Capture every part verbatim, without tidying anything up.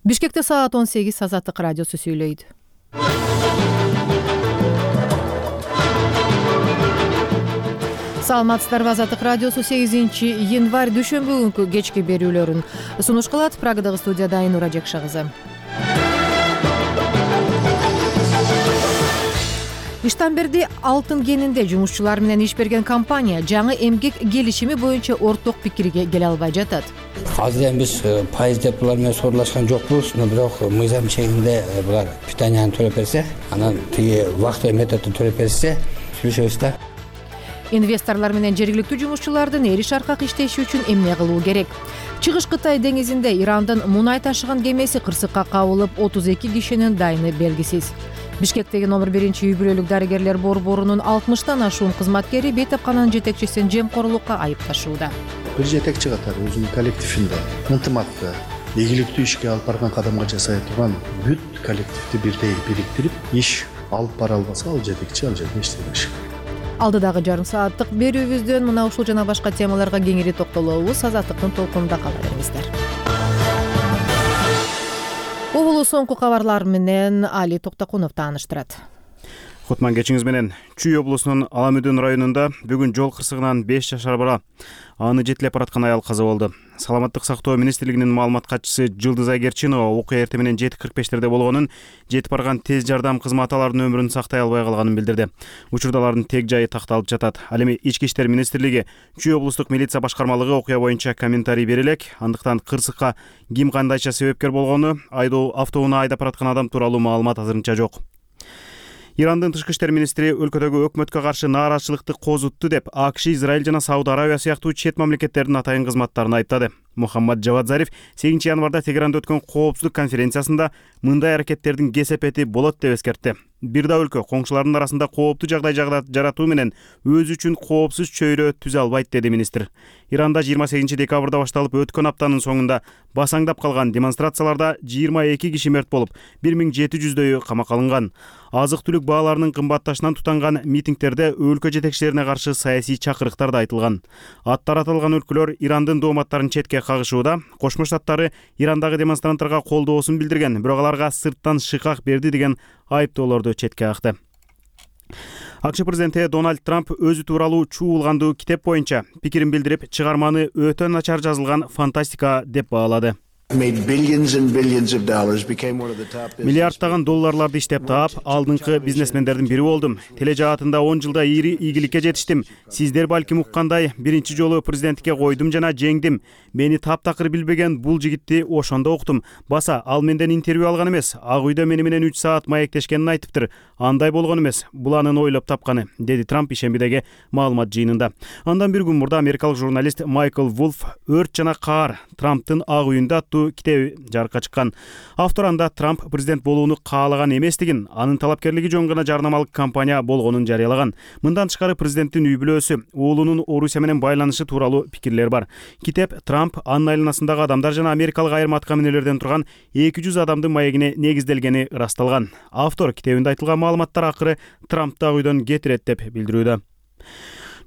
Бишкекте саат он сегиз Азаттык радиосу сүйлөйт. Саламатсыздарбы, Азаттык радиосу сегизинчи январь дүйшөмбү күнкү кечки берүүлөрүн сунуш кылат. Прагадагы студияда Айнура Жекша кызы. Иштамберди алтын кенинде жумушчулар менен иш берген компания жаңы эмгек келишими боюнча орток пикирге келе албай жатат. Азыр эми биз пайыз деп булар менен сорлашкан жокпуз, бирок мыйзам чегинде булар питанияны төлөп берсе, анан тиги вакыт методду төлөп берсе, сүйлөшөбүз да. Инвесторлор менен жергиликтүү жумушчулардын эри шаркак иштеши үчүн эмне кылуу керек? Чыгыш Кытай деңизинде Ирандын мунай ташыган кемеси кырсыкка кабылып, отуз эки кишинин дайыны белгисиз. Бишкектеги номер биринчи үй бүлөлүк дарыгерлер борборунун алтымыштан ашуун кызматкери бейтапкананын жетекчисин жемкорлукка айыпташууда. Бир жетекчи катары өзүнүн коллективинде ынтымакты, ийгиликтүү ишке алып барган кадамга жасай турган бүт коллективди бирдей бириктирип, иш алып бара албаса, ал жетекчи ал жерде иштей бериши керек. Алдыдагы жарым сааттык берүүбүздөн мына ушул жана башка темаларга кеңири токтолобуз. Азаттыктын толкунунда кала бериңиздер. Угулуу соңку кабарлар менен Али Токтокунов тааныштырат. Кутман кечиңиз менен. Чүй облусунун Аламүдүн районунда бүгүн жол кырсыгынан беш жашар бала аны жетелеп бараткан аял каза болду. Саламаттык сактоо министрлигинин маалымат катчысы Жылдыз Айгерчинова окуя эртең менен жети кырк бештерде болгонун, жетип барган тез жардам кызматы алардын өмүрүн сактай албай калганын билдирди. Учурда алардын тег жайы такталып жатат. Ал эми Ички иштер министрлиги Чүй облустук милиция башкармалыгы окуя боюнча комментарий бере элек. Андыктан кырсыкка ким кандайча себепкер болгону, айдоо автоунаа айдап бараткан адам тууралуу маалымат азырынча жок. Ирандын тышкы иштер министри өлкөдөгү өкмөткө каршы нааразычылыкты козутту деп АКШ, Израиль жана Сауд Арабия сыяктуу чет мамлекеттердин атайын кызматтарын айыптады. Мухаммад Жавад Зариф сегизинчи январда Тегеранда өткөн коопсуздук конференциясында мындай аракеттердин кесепети болот деп эскертти. Бир да өлкө коңшулардын арасында кооптуу жагдай жаратуу менен өзү үчүн коопсуз чөйрө түзө албайт, деди министр. Иранда жыйырма сегизинчи декабрда башталып өткөн аптанын соңунда басаңдап калган демонстрацияларда жыйырма эки киши мерт болуп, бир миң жети жүздөйү камакка алынган. Азык-түлүк бааларынын кымбатташынан тутанган митингдерде өлкө жетекчилерине каршы саясий чакырыктар да айтылган. Аттар аталган өлкөлөр Ирандын дооматтарын четке кагышууда. Кошмо Штаттары Ирандагы демонстранттарга колдоосун билдирген, бирок аларга сырттан шыкак берди деген айыптоолорду четке какты. АКШ президенти Дональд Трамп өзү тууралуу чуулгандуу китеп боюнча пикирин билдирип, чыгарманы өтө начар жазылган фантастика деп баалады. Миллиардтаган долларларды иштеп таап, алдыңкы бизнесмендердин бири болдум. Тележаатында он жылда ири ийгиликке жетиштим. Сиздер балким уккандай, биринчи жолу президенттикке койдум жана жеңдим. Мени таптакыр билбеген бул жигитти ошондо уктум. Баса, ал менден интервью алган эмес. Ак үйдө мени менен үч саат маектешкенин айтыптыр. Андай болгон эмес. Бул анын ойлоп тапканы, деди Трамп ишембидеги маалымат жыйынында. Андан бир күн мурда америкалык журналист Майкл Вулф «Өрт жана каар. Трамптын Ак үйүндө» китеби жарыкка чыккан. Автор анда Трамп президент болууну каалаган эместигин, анын талапкерлиги жөн гана жарнамалык кампания болгонун жарыялаган. Мындан тышкары президенттин үй бүлөсү, уулунун Орусия менен байланышы тууралуу пикирлер бар. Китеп Трамп, анын айланасындагы адамдар жана америкалык айрым аткаминерлерден турган эки жүз адамдын маегине негизделгени ырасталган. Автор китебинде айтылган маалыматтар акыры Трампты Ак үйдөн кетирет деп билдирүүдө.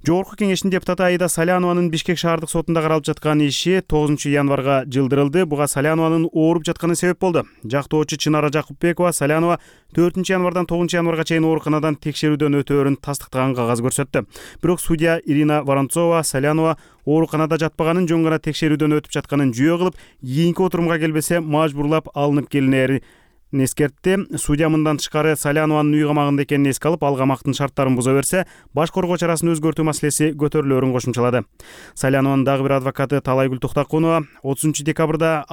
Жогорку кеңештин депутаты Аида Салянованын Бишкек шаардык сотунда каралып жаткан иши тогузунчу январга жылдырылды. Буга Салянованын ооруп жатканы себеп болду. Жактоочу Чынара Жакупбекова Салянова төртүнчү январдан тогузунчу январга чейин ооруканадан текшерүүдөн өтөөрүн тастыктаган кагаз көрсөттү. Бирок судья Ирина Воронцова Салянова ооруканада жатпаганын, жөн гана текшерүүдөн өтүп жатканын жүйө кылып, кийинки отурумга келбесе мажбурлап алынып келинери эскертти. Судья мындан тышкары Салянованын үй камагында экенин эске алып, ал камактын шарттарын буза берсе, баш коргоо чарасын өзгөртүү маселеси көтөрүлөөрүн кошумчалады. Салянованын дагы бир адвокаты Талайгүл Токтокунова отузунчу декабрда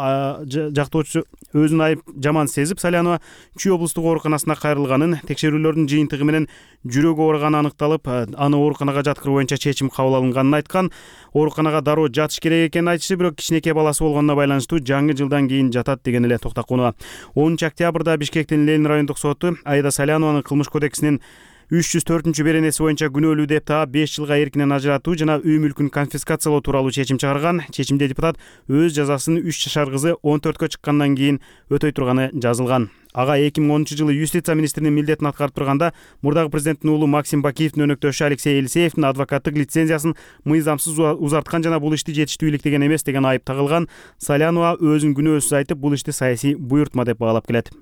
жактоочу өзүн айып жаман сезип, Салянова Чүй облустук ооруканасына кайрылганын, текшерүүлөрдүн жыйынтыгы менен жүрөгү ооруганы аныкталып, аны ооруканага жаткыруу боюнча чечим кабыл алынганын айткан. Ооруканага дароо жатыш керек экенин айтышы, бирок кичинекей баласы болгонуна байланыштуу жаңы жылдан кийин жатат деген эле Токтокунова. онунчу октябрда Бишкектин Ленин райондук соту Аида Салянованын кылмыш кодексинин үч жүз төртүнчү беренеси боюнча күнөөлүү деп таап беш жылга эркинен ажыратуу жана үй мүлкүн конфискациялоо тууралуу чечим чыгарган. Чечимде депутат өз жазасын үч жашар кызы он төрткө чыккандан кийин өтөй турганы жазылган. Ага эки миң онунчу жылы юстиция министринин милдетин аткарып турганда мурдагы президенттин уулу Максим Бакиевдин өнөктөшү Алексей Елисеевдин адвокаттык лицензиясын мыйзамсыз узарткан жана бул ишти жетиштүү иликтеген эмес деген айып тагылган. Салянова өзүн күнөөсүз айтып, бул ишти саясий буйртма деп баалап келет.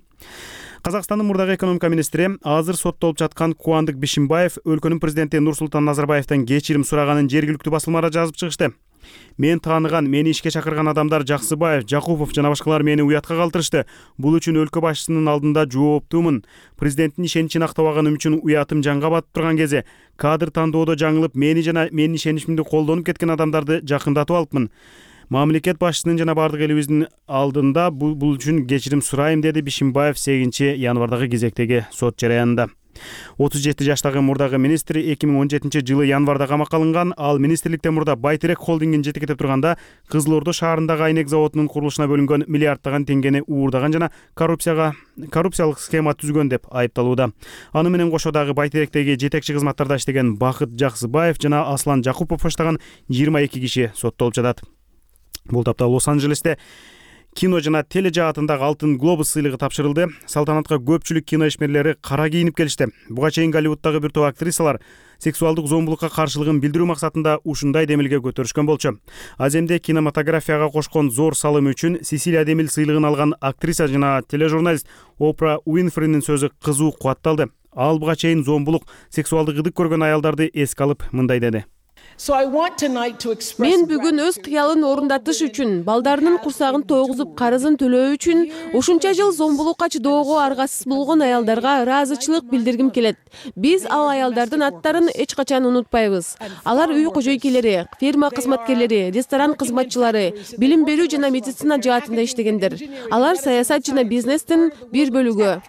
Казакстандын мурдагы экономика министри азыр соттолуп жаткан Кубандык Бишимбаев өлкөнүн президенти Нурсултан Назарбаевден кечирим сураганын жергиликтүү басылмалар жазып чыгышты. Мен тааныган, мени ишке чакырган адамдар Жаксыбаев, Жакупов жана башкалар мени уятка калтырышты. Бул үчүн өлкө башчысынын алдында жооптумун. Президенттин ишеничин актабаганым үчүн уятым жанга батып турган кезде кадр тандоодо жаңылып, мени жана менин ишеничимди колдонуп кеткен адамдарды жакындатып алыпмын. Мамлекет башчысынын жана бардык элибиздин алдында бул, бул үчүн кечирим сурайм, деди Бишимбаев сегизинчи январдагы кезектеги сот жараянында. отуз жети жаштагы мурдагы министр эки миң он жетинчи жылы январда камакка алынган. Ал министрликтен мурда Байтерек холдингин жетектеп турганда Кызыл Ордо шаарындагы айнек заводунун курулушуна бөлүнгөн миллиарддаган теңгени уурдаган жана коррупцияга коррупциялык схема түзгөн деп айыпталууда. Аны менен кошо дагы Байтеректеги жетекчи кызматтарда иштеген Бакыт Жаксыбаев жана Аслан Жакупов баштаган жыйырма эки киши соттолуп жатат. Бул тапта Лос-Анджелесте кино жана теле жаатындагы Алтын глобус сыйлыгы тапшырылды. Салтанатка көпчүлүк кино ишмерлери кара кийинип келишти. Буга чейин Голливуддагы бир топ актрисалар сексуалдык зомбулукка каршылыгын билдирүү максатында ушундай демилге көтөрүшкөн болчу. Аземде кинематографияга кошкон зор салымы үчүн Сесилия Демил сыйлыгын алган актриса жана тележурналист Опра Уинфринин сөзү кызуу кубатталды. Ал буга чейин зомбулук, сексуалдык ыдык көргөн аялдарды эске алып мындай деди. Мен бүгүн өз кыялын орундатыш үчүн, балдарынын курсагын тойгузуп карызын төлөө үчүн ушунча жыл зомбулукка чыдоого аргасыз болгон аялдарга ыраазычылык билдиргим келет. Биз ал аялдардын аттарын эч качан унутпайбыз. Алар үй кожойкелери, ферма кызматкерлери, ресторан кызматчылары, билим берүү жана медицина жаатында иштегендер. Алар саясат жана бизнестин бир бөлүгү.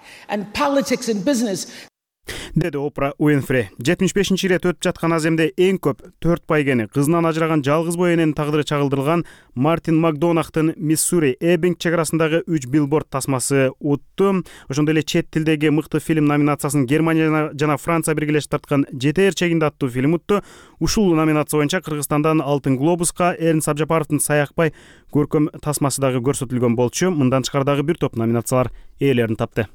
Деди Опра Уинфри. жетимиш бешинчи ирет өтүп жаткан аземде эң көп төрт байгени кызынан ажыраган жалгыз бой эненин тагдыры чагылдырылган Мартин Макдонахтын Миссури Эббинг чек арасындагы үч билборд тасмасы утту. Ошондой эле чет тилдеги мыкты фильм номинациясын Германия жана Франция биргелешип тарткан Жете эрчегинде аттуу фильм утту. Ушул номинация боюнча Кыргызстандан Алтын глобуска Эрнст Абжапаровдун Саякбай көркөм тасмасы дагы көрсөтүлгөн болчу. Мындан тышкары дагы бир топ номинациялар ээлерин тапты.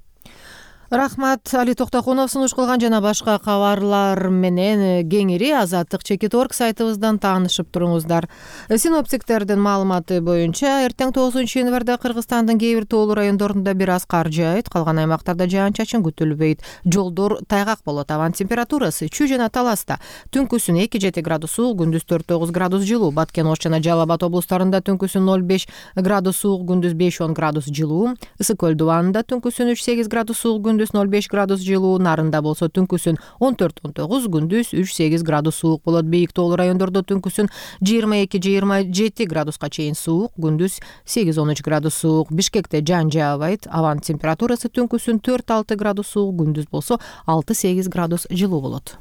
Рахмат, Али Токтокунов сунуш кылган жана башка кабарлар менен кеңири Азаттык чекит точка орг сайтыбыздан таанышып туруңуздар. Синоптиктердин маалыматы боюнча эртең тогузунчу январда Кыргызстандын кээ бир тоолуу райондорунда бир аз кар жаайт, калган аймактарда жаан-чачын күтүлбөйт. Жолдор тайгак болот. Абан температурасы Чүй жана Таласта түнкүсүн эки жети градус суук, күндүз төрт тогуз градус жылуу. Баткен Ош жана Жалал Абад облустарында түнкүсүн ноль беш градус суук, күндүз беш он градус жылуу. Ысык көл дубанында түнкүсүн үч сегиз градус суук, күндүз ноль беш градус жылуу. Нарында болсо түнкүсүн он төрт он тогуз, күндүз үч сегиз градус суук болот. Бийик тоолуу райондордо түнкүсүн жыйырма эки жыйырма жети градуска чейин суук, күндүз сегиз он үч градус суук. Бишкекте жаан жаабайт. Абан температурасы түнкүсүн төрт алты градус суук, күндүз болсо алты сегиз градус жылуу болот.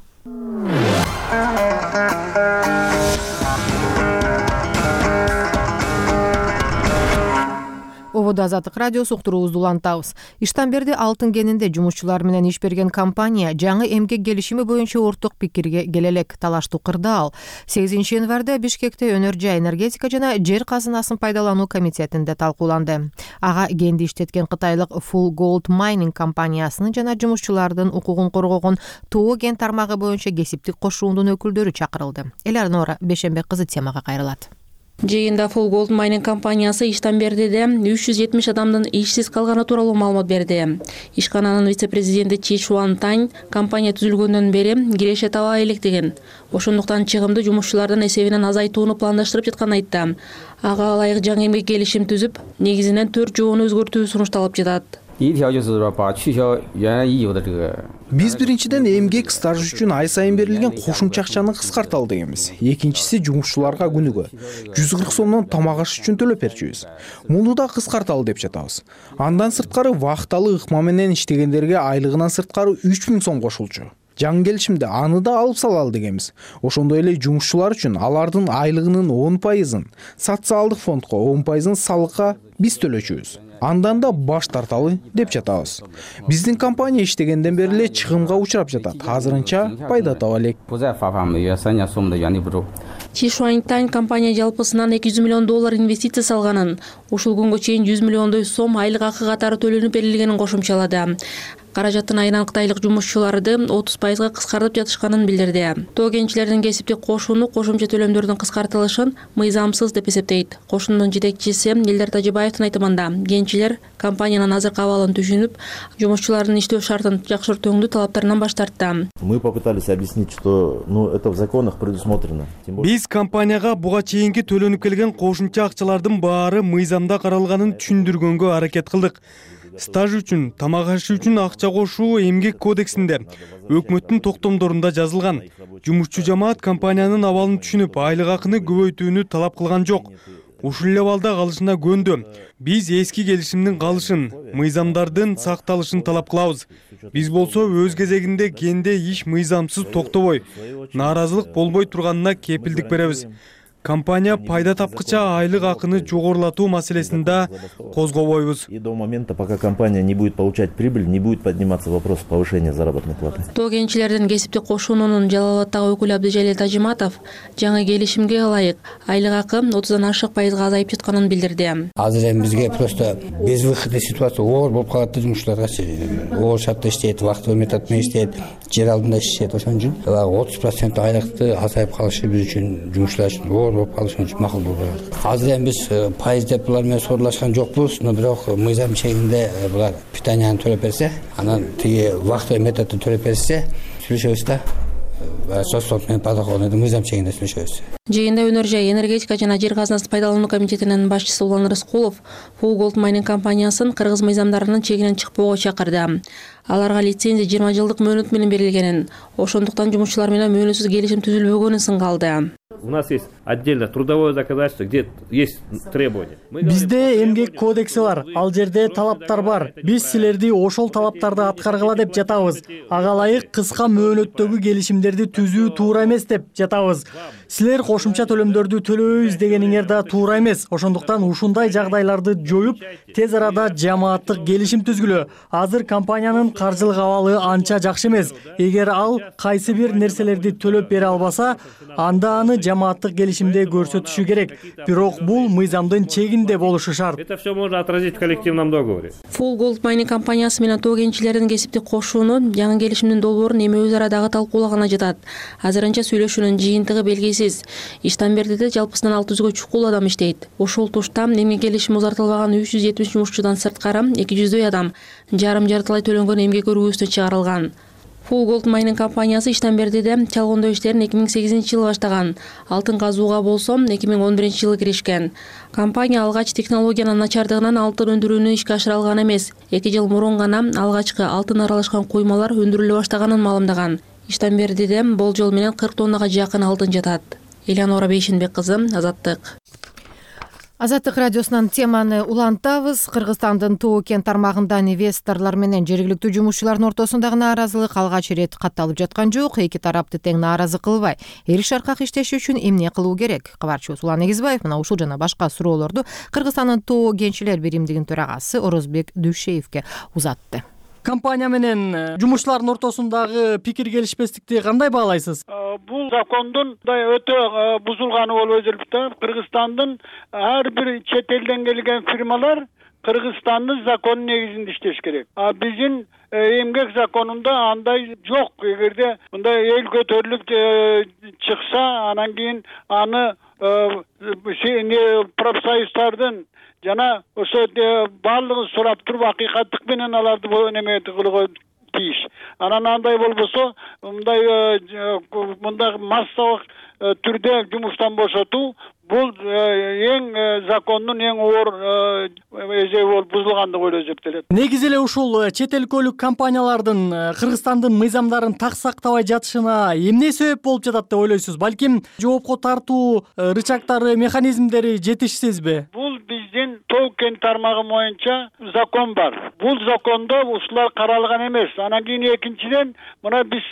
Ободо Азаттык радиосу уктуруубузду улантабыз. Иштан берди алтын кенинде жумушчулар менен иш берген компания жаңы эмгек келишими боюнча орток пикирге келе элек. Талаштуу кырдаал ал сегизинчи январда Бишкекте өнөр жай энергетика жана жер казынасын пайдалануу комитетинде талкууланды. Ага кенди иштеткен кытайлык Full Gold Mining компаниясынын жана жумушчулардын укугун коргогон Тоо кен тармагы боюнча кесиптик кошуундун өкүлдөрү чакырылды. Эларнора Бешенбек кызы темага кайрылат. Жыйында Full Gold Mining компаниясы иштан бердиде үч жүз жетимиш адамдын ишсиз калганы тууралуу маалымат берди. Ишкананын вице-президенти Чи Шуан Тань компания түзүлгөндөн бери киреше табай элек деген. Ошондуктан чыгымды жумушчулардын эсебинен азайтууну пландаштырып жатканын айтты. Ага ылайык жаңы эмгек келишим түзүп, негизинен төрт жобону өзгөртүү сунушталып жатат. Биз биринчиден эмгек стаж үчүн ай сайын берилген кошумча акчаны кыскарталы дегенбиз. Экинчиси жумушчуларга күнүгө жүз кырк сомдон тамак аш үчүн төлөп берчүбүз. Муну да кыскарталы деп жатабыз. Андан сырткары вакталуу ыкма менен иштегендерге айлыгынан сырткары үч миң сом кошулчу. Жаңы келишимде аны да алып салалы дегенбиз. Ошондой эле жумушчулар үчүн алардын айлыгынын он пайызын социалдык фондко, он пайызын салыкка биз төлөчүбүз. Андан да баш тарталы деп жатабыз. Биздин компания иштегенден бери эле чыгымга учурап жатат. Азырынча пайда таба элек. Чи Шуантань компания жалпысынан эки жүз миллион доллар инвестиция салганын, ушул күнгө чейин жүз миллиондой сом айлык акы катары төлөнүп берилгенин кошумчалады. Каражаттын айынан кытайлык жумушчуларды отуз пайызга кыскартып жатышканын билдирди. Тоо кенчилердин кесиптик кошууну кошумча төлөмдөрдүн кыскартылышын мыйзамсыз деп эсептейт. Кошунун жетекчиси Элдар Тажибаевдин айтымында, кенчилер компаниянын азыркы абалын түшүнүп, жумушчулардын иштөө шартын жакшыртууну талаптарынан баш тартты. Мы попытались объяснить, что, ну, это в законах предусмотрено. Биз компанияга буга чейинки төлөнүп келген кошумча акчалардын баары мыйзамда каралганын түшүндүргөнгө аракет кылдык. Стаж үчүн, тамак ашы үчүн акча кошуу эмгек кодексинде, өкмөттүн токтомдорунда жазылган. Жумушчу жамаат компаниянын абалын түшүнүп, айлык акыны көбөйтүүнү талап кылган жок. Ушул эле абалда калышына көндү. Биз эски келишимдин калышын, мыйзамдардын сакталышын талап кылабыз. Биз болсо өз кезегинде кенде иш мыйзамсыз токтобой, нааразылык болбой турганына кепилдик беребиз. Компания пайда тапкыча айлык акыны жогорулатуу маселесин да козгобойбуз. И до момента, пока компания не будет получать прибыль, не будет подниматься вопрос повышения заработной платы. Тоо кенчилердин кесиптик кошуунунун Жалал-Абаддагы өкүлү Абдыжалил Тажиматов жаңы келишимге ылайык айлык акы отуздан ашык пайызга азайып жатканын билдирди. Азыр эми бизге просто безвыходный ситуация оор болуп калат жумушчуларгачы. Оор шартта иштейт, вахтовый метод менен иштейт, жер алдында иштейт. Ошон үчүн отуз процент айлыкты азайып калышы биз үчүн, жумушчулар үчүн оор болуп калышы үчүн макул болот. Азыр эми биз пайыз деп булар менен соодалашкан жокпуз, но бирок мыйзам чегинде булар питанияны төлөп берсе, анан тиги вахтовый методду төлөп берсе, сүйлөшөбүз да. Соцфонд менен подоходный мыйзам чегинде сүйлөшөбүз. Жыйында Өнөр жай энергетика жана жер казынасын пайдалануу комитетинин башчысы Улан Рыскулов Full Gold Mining компаниясын кыргыз мыйзамдарынын чегинен чыкпоого чакырды. Аларга лицензия жыйырма жылдык мөөнөт менен берилгенин, ошондуктан жумушчулар менен мөөнөтсүз келишим түзүлбөгөнүн сынга алды. У нас есть отдельно трудовое законодательство, где есть требования. Бизде эмгек кодекси бар, ал жерде талаптар бар. Биз силерди ошол талаптарды аткаргыла деп жатабыз. Ага ылайык кыска мөөнөттөгү келишимдерди түзүү туура эмес деп жатабыз. Силер кошумча төлөмдөрдү төлөбөйбүз дегениңер да туура эмес. Ошондуктан ушундай жагдайларды жоюп, тез арада жамааттык келишим түзгүлө. Азыр компаниянын каржылык абалы анча жакшы эмес. Эгер ал кайсы бир нерселерди төлөп бере албаса, анда аны жамааттык келишимде көрсөтүшү керек. Бирок бул мыйзамдын чегинде болушу шарт. Это все можно отразить в коллективном договоре. Full Gold Mining компаниясы менен тоо кенчилердин кесиптик кошууну жаңы келишимдин долбоорун эми өз ара дагы талкуулаганына жатат. Азырынча сүйлөшүүнүн жыйынтыгы белгисиз. Иштамбердиде жалпысынан алты жүзгө чукул адам иштейт. Ошол тушта эмгек келишими узартылбаган үч жүз жетимиш жумушчудан сырткары эки жүздөй адам жарым жартылай төлөнгөн эмгек өргүүсүнө чыгарылган. Full Gold Mining компаниясы Иштамбердиде чалгындоо иштерин эки миң сегизинчи жылы баштаган. Алтын казууга болсо эки миң он биринчи жылы киришкен. Компания алгач технологиянын начардыгынан алтын өндүрүүнү ишке ашыра алган эмес. эки жыл мурун гана алгачкы алтын аралашкан куймалар өндүрүлө баштаганын маалымдаган. Иштамбердиде болжол менен кырк тоннага жакын алтын жатат. Элянора Бейшенбек кызы, Азаттык. Азаттык радиосунан теманы улантабыз. Кыргызстандын Тоо кен тармагында инвесторлор менен жергиликтүү жумушчулардын ортосундагы нааразылык алгач ирет катталып жаткан жок. Эки тарапты тең нааразы кылбай, эри шаркак иштеши үчүн эмне кылуу керек? Кабарчыбыз Улан Эгизбаев мына ушул жана башка суроолорду Кыргызстандын Тоо кенчилер биримдигинин төрагасы Орозбек Дүйшеевке узатты. Компания менен жумушчулардын ортосундагы пикир келишпестикти кандай баалайсыз? Бул закондун өтө бузулганы болуп эсептелет. Кыргызстандын ар бир чет элден келген фирмалар Кыргызстандын закону негизинде иштеш керек. А биздин эмгек законунда андай жок. Эгерде мындай эл көтөрүлүп чыкса, анан кийин аны профсоюздардын жана ошо баардыгын сурап туруп акыйкаттык менен аларды неме кылууга тийиш. Анан андай болбосо, мындай мындай массалык түрдө жумуштан бошотуу бул эң закондун эң оор эже болуп бузулган деп ойлоп эсептелет. Негизи эле ушул чет элдик компаниялардын Кыргызстандын мыйзамдарын так сактабай жатышына эмне себеп болуп жатат деп ойлойсуз? Балким жоопко тартуу рычагтары, механизмдери жетишсизби? Бул биздин Тоо кен тармагы боюнча закон бар. Бул закондо ушулар каралган эмес. Анан кийин экинчиден мына биз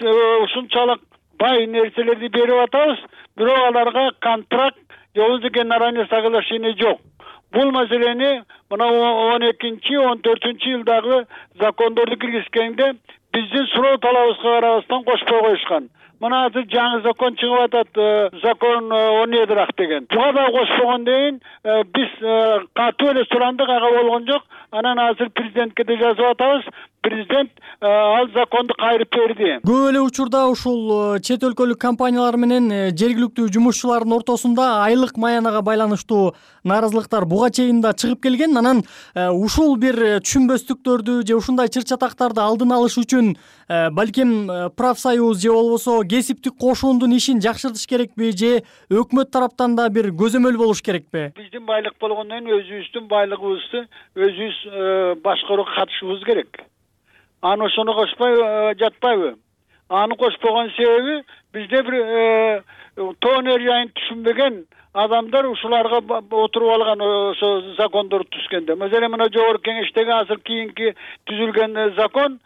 ушунчалык бай нерселерди берип атабыз, бирок аларга контракт же генеральное соглашение жок. Бул маселени мына он экинчи он төртүнчү жылдагы закондорду киргизгенде биздин суроо талабыбызга карабастан кошпой коюшкан. Мына азыр жаңы закон чыгып атат, закон он эдирак деген. Буга да кошпогондон кийин биз катуу эле сурандык, ага болгон жок. Анан азыр президентке да жазып атабыз. Президент ал законду кайрып берди. Көп эле учурда ушул чет өлкөлүк компаниялар менен жергиликтүү жумушчулардын ортосунда айлык маянага байланыштуу нааразылыктар буга чейин да чыгып келген. Анан ушул бир түшүнбөстүктөрдү же ушундай чыр-чатактарды алдын алыш үчүн балким профсоюз же болбосо кесиптик кошуундун ишин жакшыртыш керекпи, же өкмөт тараптан да бир көзөмөл болуш керекпи? Биздин байлык болгондон кийин өзүбүздүн байлыгыбызды өзүбүз башкарууга катышыбыз керек. Аны ошону кошпой жатпайбы? Аны кошпогон себеби бизде бир тоо энергияны түшүнбөгөн адамдар ушуларга отуруп алган ошо закондор түзгөндө. Маселен, мына жогорку кеңештеги азыр кийинки түзүлгөн закон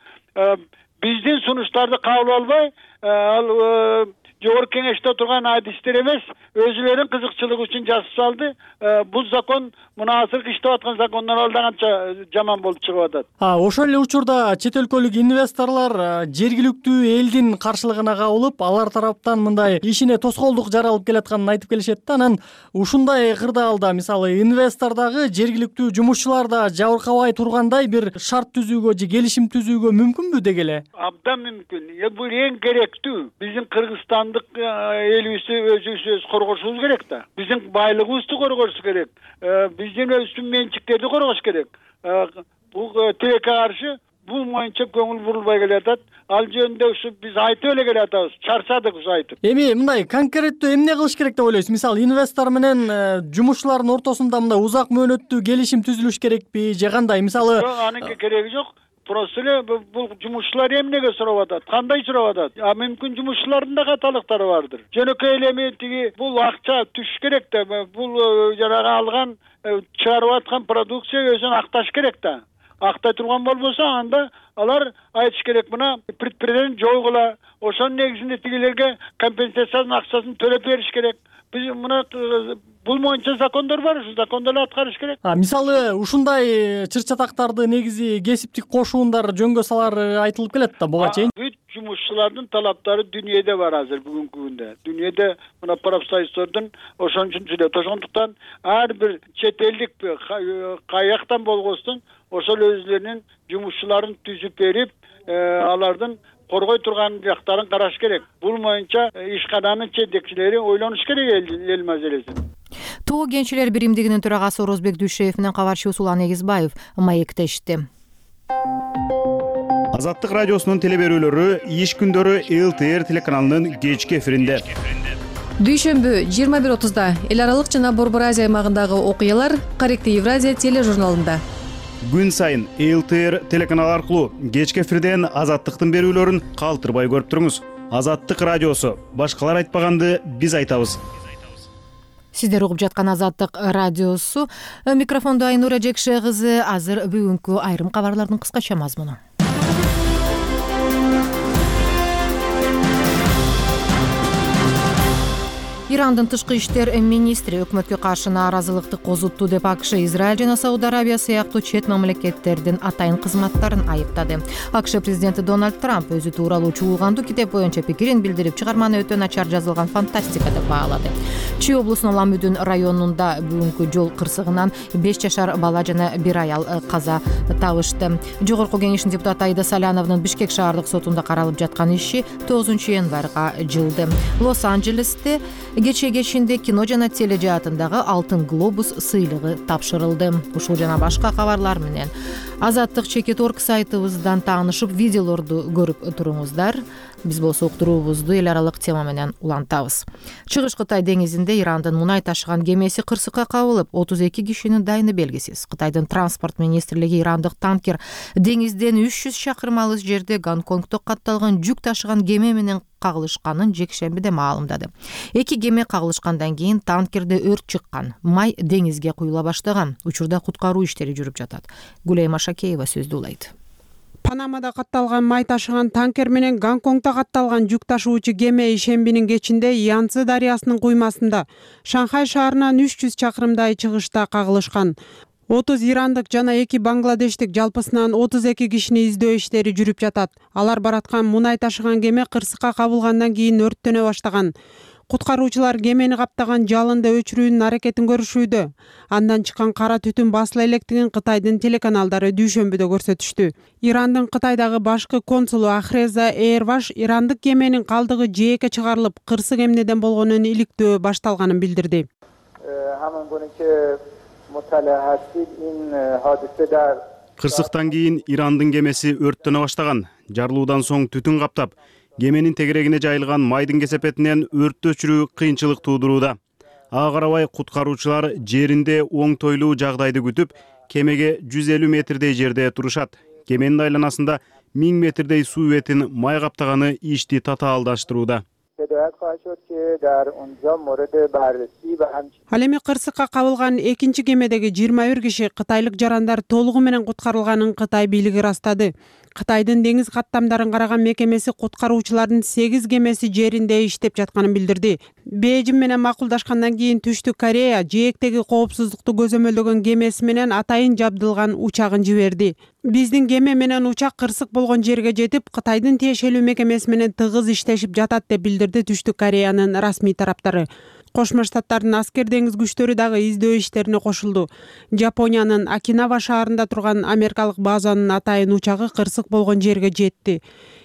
биздин сунуштарды кабыл албай, ал жогорку кеңеште турган адистер эмес, өзүлөрүнүн кызыкчылыгы үчүн жазып салды. Бул закон мына азыркы иштеп аткан закондон алда канча жаман болуп чыгып атат. А ошол эле учурда чет өлкөлүк инвесторлор жергиликтүү элдин каршылыгына кабылып, алар тараптан мындай ишине тоскоолдук жаралып келатканын айтып келишет да. Анан ушундай кырдаалда мисалы инвестор дагы жергиликтүү жумушчулар да жабыркабай тургандай бир шарт түзүүгө же келишим түзүүгө мүмкүнбү деги эле? Абдан мүмкүн. Бул эң керектүү. Биздин Кыргызстандык элибизди өзүбүз коргошубуз керек да. Биздин байлыгыбызды коргош керек. Биздин өстүн менчиктерди коргош керек. Бул тилекке каршы бул боюнча көңүл бурулбай келатат. Ал жөнүндө ушу биз айтып эле келатабыз. Чарчадык ушу айтып. Эми мындай конкреттүү эмне кылыш керек деп ойлойсуз? Мисалы, инвестор менен жумушчулардын ортосунда мындай узак мөөнөттүү келишим түзүлүш керекпи же кандай? Мисалы, анын кереги жок. Просто эле бул жумушчулар эмнеге сурап атат? Кандай сурап атат? А мүмкүн жумушчулардын да каталыктары бардыр. Жөнөкөй эле эми тиги бул акча түшүш керек да. Бул жанагы алган чыгарып аткан продукция өзүн акташ керек да. Актай турган болбосо, анда алар айтыш керек, мына предприятиени жойгула. Ошонун негизинде тигилерге компенсациянын акчасын төлөп бериш керек. Биз мына бул боюнча закондор бар, ушу закондорду аткарыш керек. А мисалы, ушундай чыр-чатактарды негизи кесиптик кошуундар жөнгө салар айтылып келет да буга чейин. Бүт жумушчулардын талаптары дүйнөдө бар азыр бүгүнкү күндө. Дүйнөдө мына профсоюздордун ошон үчүн сүйлөт. Ошондуктан ар бир чет элдик каяктан болгосун ошол өзлөрүнүн жумушчуларын түзүп берип, алардын коргой турган жактарын караш керек. Бул боюнча ишкананын жетекчилери ойлонуш керек эл маселесин. Тоо кенчилер биримдигинин төрагасы Орозбек Дүйшеев менен кабарчыбыз Улан Эгизбаев маектешти. Азаттык радиосунун телеберүүлөрү иш күндөрү эл тэ эр телеканалынын кечки эфиринде. Дүйшөмбү жыйырма бир отузда эл аралык жана Борбор Азия аймагындагы окуялар Каректи Евразия тележурналында. Күн сайын эл тэ эр телеканалы аркылуу кечки эфирден Азаттыктын берүүлөрүн калтырбай көрүп туруңуз. Азаттык радиосу. Башкалар айтпаганды биз айтабыз. Сиздер угуп жаткан Азаттык радиосу. Микрофондо Айнура Жекше кызы. Азыр бүгүнкү айрым кабарлардын кыскача мазмуну. Ирандын тышкы иштер министри өкмөткө каршы нааразылыкты козутту деп АКШ, Израиль жана Сауд Арабия сыяктуу чет мамлекеттердин атайын кызматтарын айыптады. АКШ президенти Дональд Трамп өзү тууралуу чуулгандуу китеп боюнча пикирин билдирип, чыгарманы өтө начар жазылган фантастика деп баалады. Чүй облусунун Ламүдүн районунда бүгүнкү жол кырсыгынан беш жашар бала жана бир аял каза табышты. Жогорку кеңештин депутаты Аида Саляновдун Бишкек шаардык сотунда каралып жаткан иши тогузунчу январга жылды. Лос-Анджелесте кечээ кечинде кино жана тележаатындагы Алтын глобус сыйлыгы тапшырылды. Ушул жана башка кабарлар менен Азаттык чекит точка орг сайтыбыздан таанышып, видеолорду көрүп туруңуздар. Биз болсо уктуруубузду эл аралык тема менен улантабыз. Чыгыш Кытай деңизинде Ирандын мунай ташыган кемеси кырсыкка кабылып, отуз эки кишинин дайыны белгисиз. Кытайдын транспорт министрлиги ирандык танкер деңизден үч жүз чакырым алыс жерде Гонконгдо катталган жүк ташыган кеме менен кагылышканын жекшембиде маалымдады. Эки кеме кагылышкандан кийин танкерде өрт чыккан, май деңизге куюла баштаган. Учурда куткаруу иштери жүрүп жатат. Гулейма Шакеева сөздү улайт. Панамада катталган май ташыган танкер менен Гонконгто катталган жүк ташуучу кеме ишембинин кечинде Янцзы дарыясынын куймасында Шанхай шаарынан үч жүз чакырымдай чыгышта кагылышкан. отуз ирандык жана эки бангладештик жалпысынан отуз эки кишини издөө иштери жүрүп жатат. Алар бараткан мунай ташыган кеме кырсыкка кабылгандан кийин өрттөнө баштаган. Куткаруучулар кемени каптаган жалынды өчүрүүнүн аракетин көрүшүүдө. Андан чыккан кара түтүн басыла электигин Кытайдын телеканалдары дүйшөмбүдө көрсөтүштү. Ирандын Кытайдагы башкы консулу Ахреза Эйрваш ирандык кеменин калдыгы жээкке чыгарылып, кырсык эмнеден болгонун иликтөө башталганын билдирди. Кырсыктан кийин Ирандын кемеси өрттөнө баштаган. Жарылуудан соң түтүн каптап, кеменин тегерегине жайылган майдын кесепетинен өрттү өчүрүү кыйынчылык туудурууда. Ага карабай куткаруучулар жеринде оңтойлуу жагдайды күтүп, кемеге жүз элүү метрдей жерде турушат. Кеменин айланасында миң метрдей суу бетин май каптаганы ишти татаалдаштырууда. Ал эми кырсыкка кабылган экинчи кемедеги жыйырма бир киши кытайлык жарандар толугу менен куткарылганын Кытай бийлиги ырастады. Кытайдын деңиз каттамдарын караган мекемеси куткаруучулардын сегиз кемеси жеринде иштеп жатканын билдирди. Бейжин менен макулдашкандан кийин Түштүк Корея жээктеги коопсуздукту көзөмөлдөгөн кемеси менен атайын жабдылган учагын жиберди. Биздин кеме менен учак кырсык болгон жерге жетип, Кытайдын тиешелүү мекемеси менен тыгыз иштешип жатат деп билдирди Түштүк Кореянын расмий тараптары. Кошмо Штаттардын аскер деңиз күчтөрү дагы издөө иштерине кошулду. Жапониянын Окинава шаарында турган америкалык базанын атайын учагы кырсык болгон жерге жетти.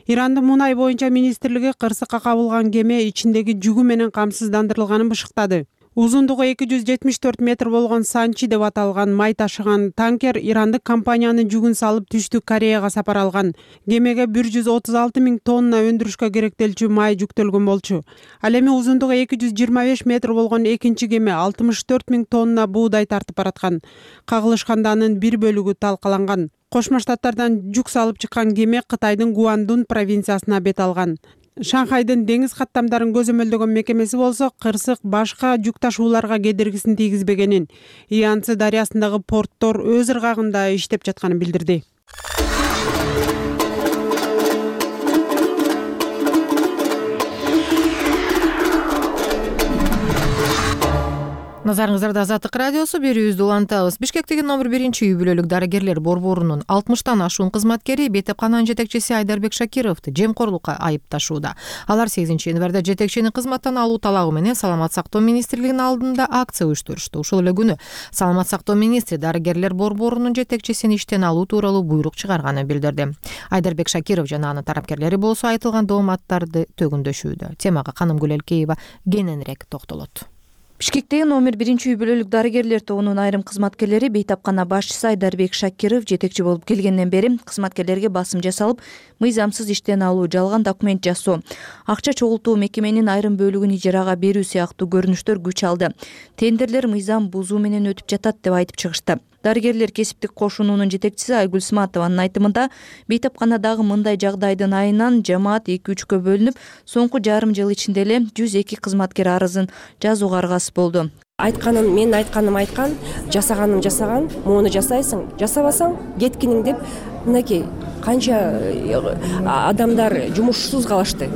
Ирандын мунай боюнча министрлиги кырсыкка кабылган кеме ичиндеги жүгү менен камсыздандырылганын бышыктады. Узундугу эки жүз жетимиш төрт метр болгон Санчи деп аталган май ташыган танкер ирандык компаниянын жүгүн салып Түштүк Кореяга сапар алган. Кемеге бир жүз отуз алты миң тонна өндүрүшкө керектелчү май жүктөлгөн болчу. Ал эми узундугу эки жүз жыйырма беш метр болгон экинчи кеме алтымыш төрт миң тонна буудай тартып бараткан. Кагылышканда анын бир бөлүгү талкаланган. Кошмо Штаттардан жүк салып чыккан кеме Кытайдын Гуандун провинциясына бет алган. Шанхайдын деңиз каттамдарын көзөмөлдөгөн мекемеси болсо кырсык башка жүк ташууларга кедергисин тийгизбегенин, Янцзы дарыясындагы порттор өз ыргагында иштеп жатканын билдирди. Назарыңыздарда Азаттык радиосу, берүүбүздү улантабыз. Бишкектеги номер биринчи үй бүлөлүк дарыгерлер борборунун алтымыштан ашуун кызматкери Бейтепкананын жетекчиси Айдарбек Шакировду жемкорлукка айыпташууда. Алар сегизинчи январда жетекчини кызматтан алуу талабы менен Саламат сактоо министрлигинин алдында акция уюштурушту. Ошол эле күнү Саламат сактоо министри дарыгерлер борборунун жетекчисин иштен алуу тууралуу буйрук чыгарганын билдирди. Айдарбек Шакиров жана анын тарапкерлери болсо айтылган дооматтарды төгүндөшүүдө. Темага Канымгүл Элкеева кененирээк токтолот. Бишкектеги номер биринчи үй бүлөлүк дарыгерлер тобунун айрым кызматкерлери Бейтапкана башчысы Айдарбек Шакиров жетекчи болуп келгенден бери кызматкерлерге басым жасалып, мыйзамсыз иштен алуу, жалган документ жасоо, акча чогултуу, мекеменин айрым бөлүгүн ижарага берүү сыяктуу көрүнүштөр күч алды. Тендерлер мыйзам бузуу менен өтүп жатат деп айтып чыгышты. Дарыгерлер кесиптик кошунунун жетекчиси Айгүл Сматованын айтымында, Бейтапканадагы мындай жагдайдын айынан жамаат эки үчкө бөлүнүп, соңку жарым жыл ичинде эле жүз эки кызматкер арызын жазууга аргасыз болду. Айтканын мен айтканым айткан, жасаганым жасаган, муну жасайсың, жасабасаң кеткиниң деп мынакей канча адамдар жумушсуз калышты.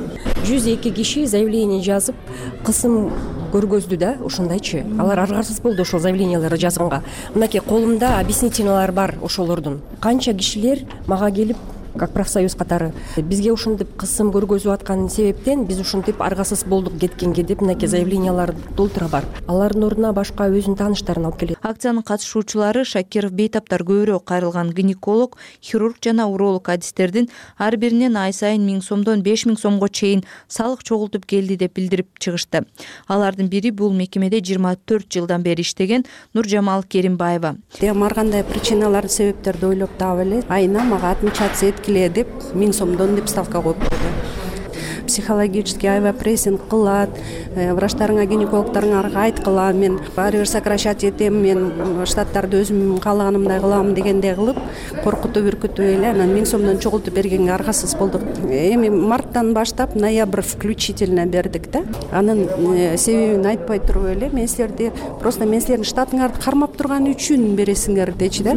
жүз эки киши заявление жазып, кысым көргөздү да, ошондойчу. Алар аргасыз болду ошол заявленияларды жазганга. Мынакей колумда объяснительналар бар ошолордун. Канча кишилер мага келип, как профсоюз катары бизге ушинтип кысым көргөзүп аткан себептен биз ушинтип аргасыз болдук кеткенге деп мынакей заявленияларды толтура бар. Алардын ордуна башка өзүнүн тааныштарын алып келет. Акциянын катышуучулары Шакиров Бейтаптар көбүрөөк кайрылган гинеколог, хирург жана уролог адистердин ар биринен ай сайын миң сомдон беш миң сомго чейин салык чогултуп келди деп билдирип чыгышты. Алардын бири бул мекемеде жыйырма төрт жылдан бери иштеген Нуржамал Керимбаева. Ар кандай причиналарды, себептерди ойлоп таап эле айына мага отмечаться эткиле деп миң сомдон деп ставка коюп койду. психологический аябай прессинг кылат, врачтарыңа, гинекологторуңарга айткыла, мен баары бир сокращать этем, мен штаттарды өзүм каалаганымдай кылам дегендей кылып коркутуп үркүтүп эле анан миң сомдон чогултуп бергенге аргасыз болдук. Эми марттан баштап ноябрь включительно бердик да. Анын себебин айтпай туруп эле мен силерди просто мен силердин штатыңарды кармап турган үчүн бересиңер дечи да.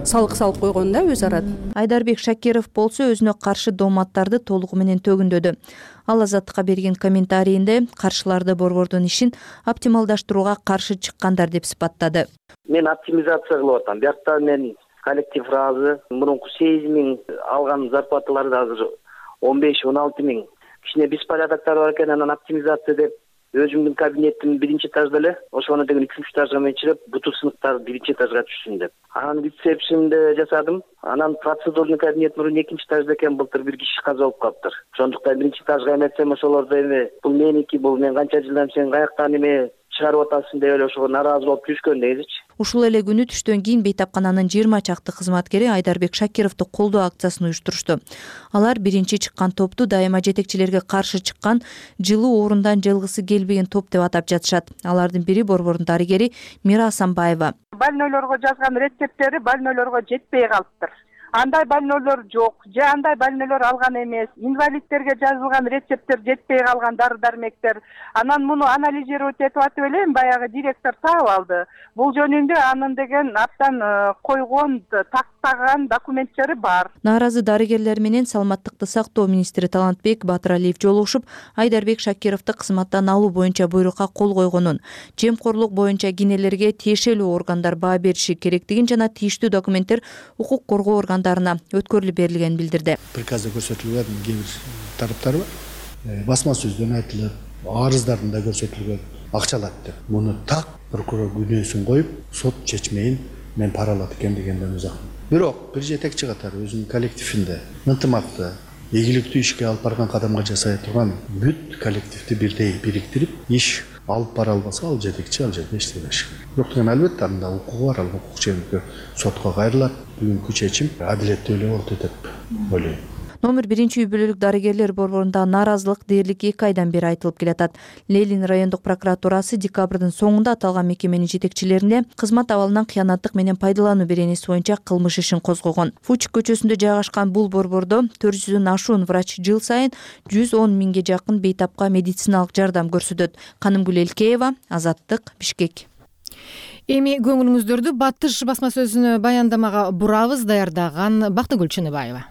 Салык салып койгон да өз ара. Айдарбек Шакиров болсо өзүнө каршы дооматтарды толугу менен төгүндөдү. Ал Азаттыкка берген комментарийинде каршыларды борбордун ишин оптималдаштырууга каршы чыккандар деп сыпаттады. Мен оптимизация кылып атам. Биякта мен коллектив ыраазы. Мурунку сегиз миң алган зарплаталарды азыр он беш он алты миң. Кичине беспорядоктор бар экен, анан оптимизация деп өзүмдүн кабинетим биринчи этажда эле, ошону деген үчүнчү этажга мен чыгып, бүтүн сыныптар биринчи этажга түшсүн деп. Анан рецепшнде жасадым. Анан процедурный кабинет мурун экинчи этажда экен, былтыр бир киши каза болуп калыптыр. Ошондуктан биринчи этажга эметсем ошолорду эми бул меники, бул мен канча жылдан сен каяктан эме чыгарып атасың деп эле ошого нааразы болуп жүрүшкөн негизичи. Ушул эле күнү түштөн кийин бейтапкананын жыйырма чакты кызматкери Айдарбек Шакировду колдоо акциясын уюштурушту. Алар биринчи чыккан топту дайыма жетекчилерге каршы чыккан, жылуу орундан жылгысы келбеген топ деп атап жатышат. Алардын бири борбордун дарыгери Мира Асанбаева. Больнойлорго жазган рецепттери больнойлорго жетпей калыптыр. Андай больнойлор жок, же андай больнойлор алган эмес. Инвалидтерге жазылган рецепттер жетпей калган дары дармектер. Анан муну анализировать этип атып элем, баягы директор таап алды. Бул жөнүндө анын деген абдан койгон, тактаган документтери бар. Нааразы дарыгерлер менен Саламаттыкты сактоо министри Талантбек Батыралиев жолугушуп, Айдарбек Шакировду кызматтан алуу боюнча буйрукка кол койгонун, жемкорлук боюнча кинелерге тиешелүү органдар баа бериши керектигин жана тийиштүү документтер укук коргоо органдарына өткөрүлүп берилгенин билдирди. Приказда көрсөтүлгөн кээ бир тараптар бар. Басма сөздөн айтылып, арыздардында көрсөтүлгөн акча алат деп. Муну так прокурор күнөөсүн коюп, сот чечмейин мен паралат экен дегенден узакмын. Бирок бир жетекчи катары өзүнүн коллективинде ынтымакты, ийгиликтүү ишке алып барган кадамга жасай турган бүт коллективди бирдей бириктирип, иш алып бара албаса, ал жетекчи ал жерде иштей бериши керек. Бирок деген албетте анда укугу бар, ал укук жөнүндө сотко кайрылат. Бүгүнкү чечим адилеттүү эле болду деп ойлойм. Номер биринчи үй бүлөлүк дарыгерлер борборунда нааразылык дээрлик эки айдан бери айтылып келатат. Лелин райондук прокуратурасы декабрдын соңунда аталган мекеменин жетекчилерине кызмат абалынан кыянаттык менен пайдалануу беренеси боюнча кылмыш ишин козгогон. Фучик көчөсүндө жайгашкан бул борбордо төрт жүздөн ашуун врач жыл сайын жүз он миңге жакын бейтапка медициналык жардам көрсөтөт. Канымгүл Элкеева, Азаттык, Бишкек. Эми көңүлүңүздөрдү Батыш басма сөзүнө баяндамага бурабыз. Даярдаган Бактыгүл Чыныбаева.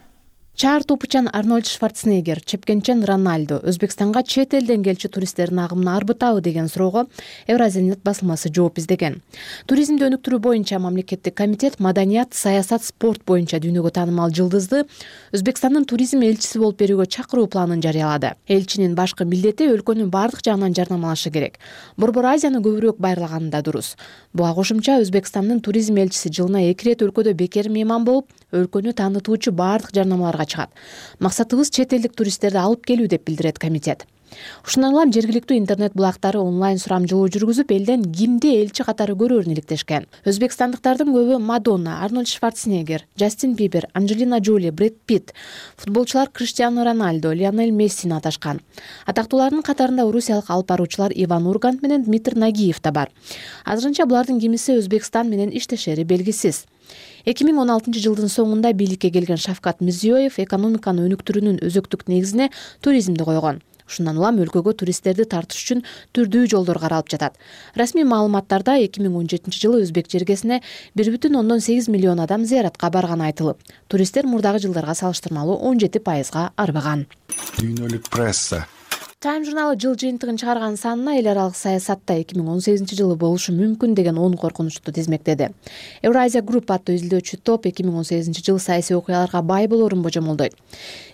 Чаар топучан Арнольд Шварценеггер, чепкенчен Роналду Өзбекстанга чет элден келчү туристтердин агымын арбытабы деген суроого Евразиянет басылмасы жооп издеген. Туризмди өнүктүрүү боюнча мамлекеттик комитет маданият, саясат, спорт боюнча дүйнөгө таанымал жылдызды Өзбекстандын туризм элчиси болуп берүүгө чакыруу планын жарыялады. Элчинин башкы милдети өлкөнү бардык жагынан жарнамалашы керек. Борбор Азияны көбүрөөк байырлаганы да дурус. Буга кошумча Өзбекстандын туризм элчиси жылына эки ирет өлкөдө бекер мейман болуп, өлкөнү таанытуучу бардык жарнамаларга чыгат. Максатыбыз чет элдик туристтерди алып келүү деп билдирет комитет. Ушундан улам жергиликтүү интернет булактары онлайн сурамжылоо жүргүзүп, элден кимди элчи катары көрөрүн иликтешкен. Өзбекстандыктардын көбү Мадонна, Арнольд Шварценеггер, Джастин Бибер, Анджелина Джоли, Брэд Питт, футболчулар Криштиану Роналдо, Лионель Мессини аташкан. Атактуулардын катарында орусиялык алып баруучулар Иван Ургант менен Дмитрий Нагиев да бар. Азырынча булардын кимиси Өзбекстан менен иштешери белгисиз. эки миң он алтынчы жылдын соңунда бийликке келген Шавкат Мирзиёев экономиканы өнүктүрүүнүн өзөктүк негизине туризмди койгон. Ушундан улам өлкөгө туристтерди тартыш үчүн түрдүү жолдор каралып жатат. Расмий маалыматтарда эки миң он жетинчи жылы Өзбек жергесине бир бүтүн ондон сегиз миллион адам зыяратка барганы айтылып, туристтер мурдагы жылдарга салыштырмалуу он жети пайызга арбаган. Дүйнөлүк пресса. Time журналы жыл жыйынтыгын чыгарган санына эл аралык саясатта эки миң он сегизинчи жылы болушу мүмкүн деген он коркунучту тизмектеди. Евразия Group аттуу изилдөөчү топ эки миң он сегизинчи жылы саясий окуяларга бай болорун божомолдойт.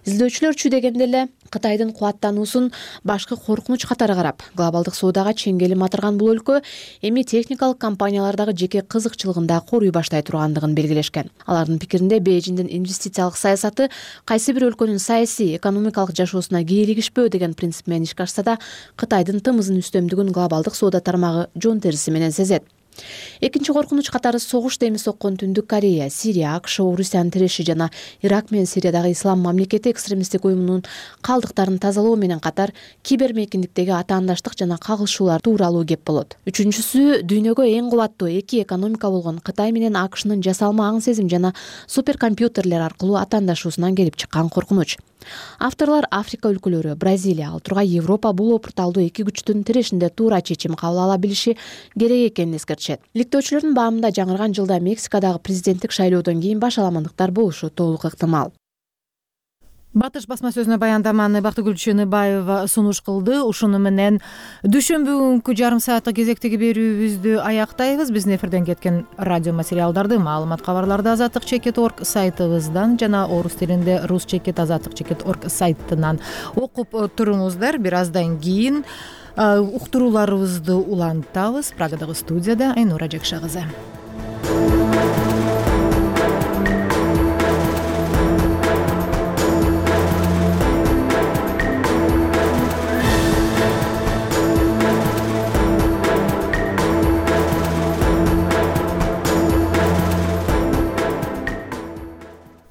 Изилдөөчүлөр дегенде эле Кытайдын кубаттануусун башкы коркунуч катары карап, глобалдык соодага чеңгели матырган бул өлкө эми техникалык компаниялардагы жеке кызыкчылыгын да коруй баштай тургандыгын белгилешкен. Алардын пикиринде Бейжиңдин инвестициялык саясаты кайсы бир өлкөнүн саясий, экономикалык жашоосуна кийлигишпөө деген принцип менен ишке ашса да, Кытайдын тымызын үстөмдүгүн глобалдык соода тармагы жон териси менен сезет. экинчи коркунуч катары согуш деми соккон Түндүк Корея, Сирия, АКШ, Орусиянын тиреши жана Ирак менен Сириядагы Ислам мамлекети экстремисттик уюмунун калдыктарын тазалоо менен катар кибермейкиндиктеги атаандаштык жана кагылышуулар тууралуу кеп болот. Үчүнчүсү дүйнөгө эң кубаттуу эки экономика болгон Кытай менен АКШнын жасалма аң сезим жана суперкомпьютерлер аркылуу атаандашуусунан келип чыккан коркунуч. Авторлор Африка өлкөлөрү, Бразилия, ал тургай Европа бул опурталдуу эки күчтүн тирешинде туура чечим кабыл ала билиши керек экенин эскертишет. Иликтөөчүлөрдүн баамында жаңырган жылда Мексикадагы президенттик шайлоодон кийин башаламандыктар болушу толук ыктымал. Батыш басма сөзүнө баяндаманы Бактыгүл Чыныбаева сунуш кылды. Ушуну менен дүйшөмбү күнкү жарым сааттык кезектеги берүүбүздү аяктайбыз. Биздин эфирден кеткен радио материалдарды, маалымат кабарларды азаттык чекит точка орг сайтыбыздан жана орус тилинде рус чекит азаттык чекит точка орг сайтынан окуп туруңуздар. Бир аздан кийин уктурууларыбызды улантабыз. Прагадагы студияда Айнура Жакша кызы.